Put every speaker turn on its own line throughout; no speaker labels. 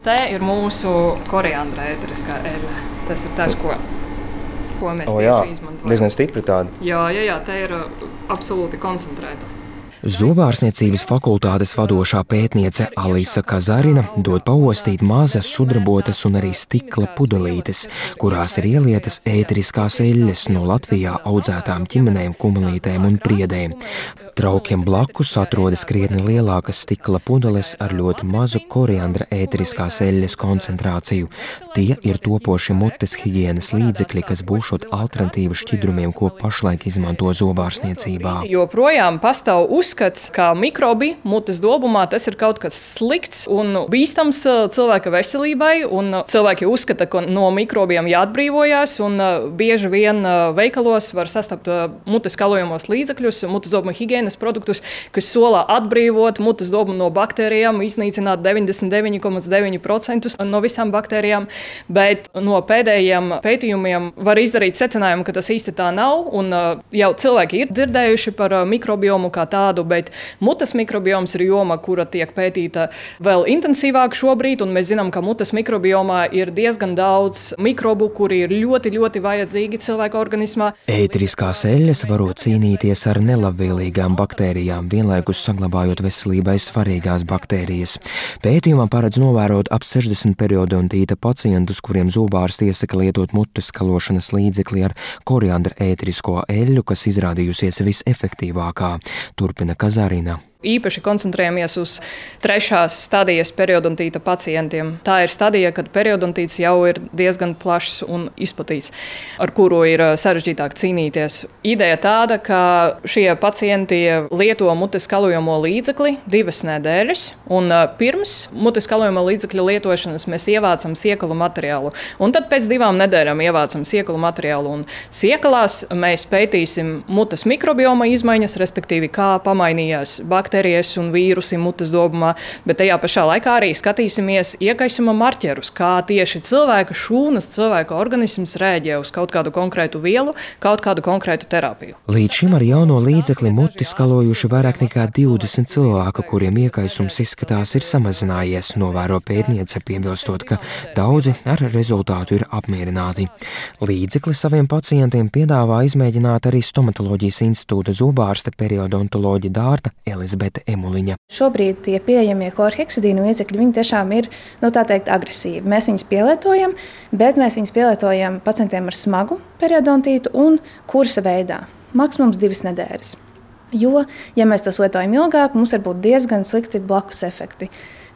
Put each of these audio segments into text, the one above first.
Te ir mūsu koriandra ēteriskā eļļa. Tas ir tas, ko mēs tieši izmantojam.
Diezgan stipri tāda.
Jā, te ir absolūti koncentrēta.
Zobārstniecības fakultātes vadošā pētniece Alisa Kazarina dod paostīt mazas sudrabotas un arī stikla pudelītes, kurās ir ielietas ēteriskās eļļas no Latvijā audzētām ķimenēm, kumelītēm un priedēm. Traukiem blakus atrodas krietni lielākas stikla pudeles ar ļoti mazu koriandra ēteriskās eļļas koncentrāciju. Tie ir topoši mutes higienas līdzekļi, kas būšot alternatīva šķidrumiem, ko pašlaik izmanto zobārstniecībā.
Joprojām pastāv uzskats, ka mikrobi mutes dobumā tas ir kaut kas slikts un bīstams cilvēka veselībai, un cilvēki uzskata, ka no mikrobiem jāatbrīvojās, un bieži vien veikalos var sastapt mutes kalojamos līdzekļus, mutes dobuma higienas produktus, kas solā atbrīvot mutes dobumu no baktērijām, iznīcināt 99,9% no visām baktērijām, bet no pēdējiem pētījumiem var izdarīt secinājumu, ka tas īsti tā nav, un jau cilvēki ir dzirdējuši par mikrobiomu kā tādu, bet mutes mikrobioms ir joma, kura tiek pētīta vēl intensīvāk šobrīd, un mēs zinām, ka mutes mikrobiomā ir diezgan daudz mikrobu, kuri ir ļoti, ļoti vajadzīgi cilvēka organismā.
Ēteriskās eļļas varot cīnīties ar nelabvēlīgām baktērijām, vienlaikus saglabājot veselībai svarīgās baktērijas. Pētījumā paredz novērot ap 60 periodontīta pacientus, kuriem zobārsti iesaka lietot mutes skalošanas līdzekli ar koriandra ēterisko eļļu, kas izrādījusies visefektīvākā, turpina Kazarina.
Īpaši koncentrējamies uz 3. stadijas periodontīta pacientiem. Tā ir stadija, kad periodontīts jau ir diezgan plašs un izplatīts, ar kuru ir sarežģītāk cīnīties. Ideja tāda, ka šie pacienti lieto mutes kalojamo līdzekli 2 nedēļas, un pirms mutes kalojamo līdzekļa lietošanas mēs ievācam siekalu materiālu, un tad pēc 2 nedēļām ievācam siekalu materiālu, un siekalās mēs pētīsim mutes mikrobioma izmaiņas, respektīvi kā pamainījās baktērijas un vīrusi mutes dobumā, bet tajā pašā laikā arī skatīsimies iekaisuma marķerus, kā tieši cilvēka šūnas, cilvēka organisms rēģē uz kaut kādu konkrētu vielu, kaut kādu konkrētu terapiju.
Līdz šim ar jauno līdzekli muti skalojuši vairāk nekā 20 cilvēku, kuriem iekaisums izskatās ir samazinājies, novēro pētniece, piebilstot, ka daudzi ar rezultātu ir apmierināti. Līdzekli saviem pacientiem piedāvā izmēģināt arī Stomatoloģijas institūta zobārste periodontoloģa Dārta Elizabete Emuliņa.
Šobrīd tie pieejamie chlorheksidīnu līdzekļi, viņi tiešām ir, tā teikt, agresīvi. Mēs viņus pielietojam, bet mēs viņus pielietojam pacientiem ar smagu periodontītu un kursa veidā. Maksimums 2 nedēļas. Jo, ja mēs tos lietojam ilgāk, mums var būt diezgan slikti blakus efekti.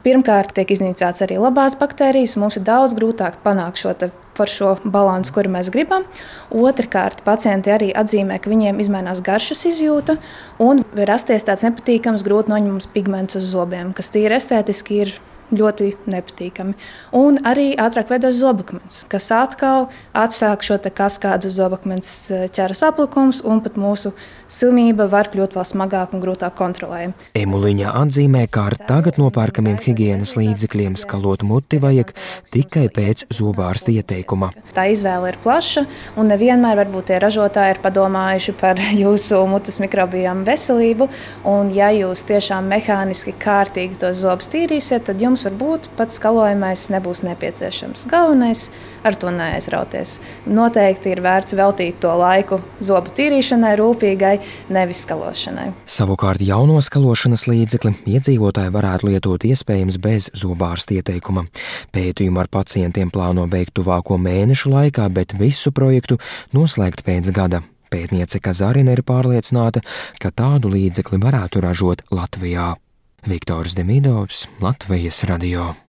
Pirmkārt, tiek iznīcināts arī labās baktērijas, un mums ir daudz grūtāk panākt šo balansu, kuru mēs gribam. Otrkārt, pacienti arī atzīmē, ka viņiem izmainās garšas izjūta un var rasties tāds nepatīkams, grūti noņemams pigments uz zobiem, kas tīri estētiski ir ļoti nepatīkami. Un arī ātrāk veidojas zobakmens, kas atkal atsāk šo kaskādu zobakmens ķeras aplikums, un pat mūsu slimība var kļūt vēl smagāk un grūtāk kontrolējama.
Emuliņa atzīmē, ka ar tagad nopērkamiem higienas līdzekļiem skalot muti vajag tikai pēc zobārsta ieteikuma.
Tā izvēle ir plaša, un nevienmēr varbūt tie ražotāji ir padomājuši par jūsu mutes mikrobiomu veselību, un ja jūs tiešām mehāniski kārtīgi tos zobus tīrīsiet, tad jums varbūt pats skalojamais nebūs nepieciešams. Galvenais ar to neaizrauties. Noteikti ir vērts veltīt to laiku zobu tīrīšanai rūpīgai, nevis skalošanai.
Savukārt jauno skalošanas līdzekli iedzīvotāji varētu lietot iespējams bez zobārsta ieteikuma. Pētījumu ar pacientiem plāno veikt tuvāko mēnešu laikā, bet visu projektu noslēgt pēc gada. Pētniece Kazarina ir pārliecināta, ka tādu līdzekli varētu ražot Latvijā. Viktors Demidovs, Latvijas radio.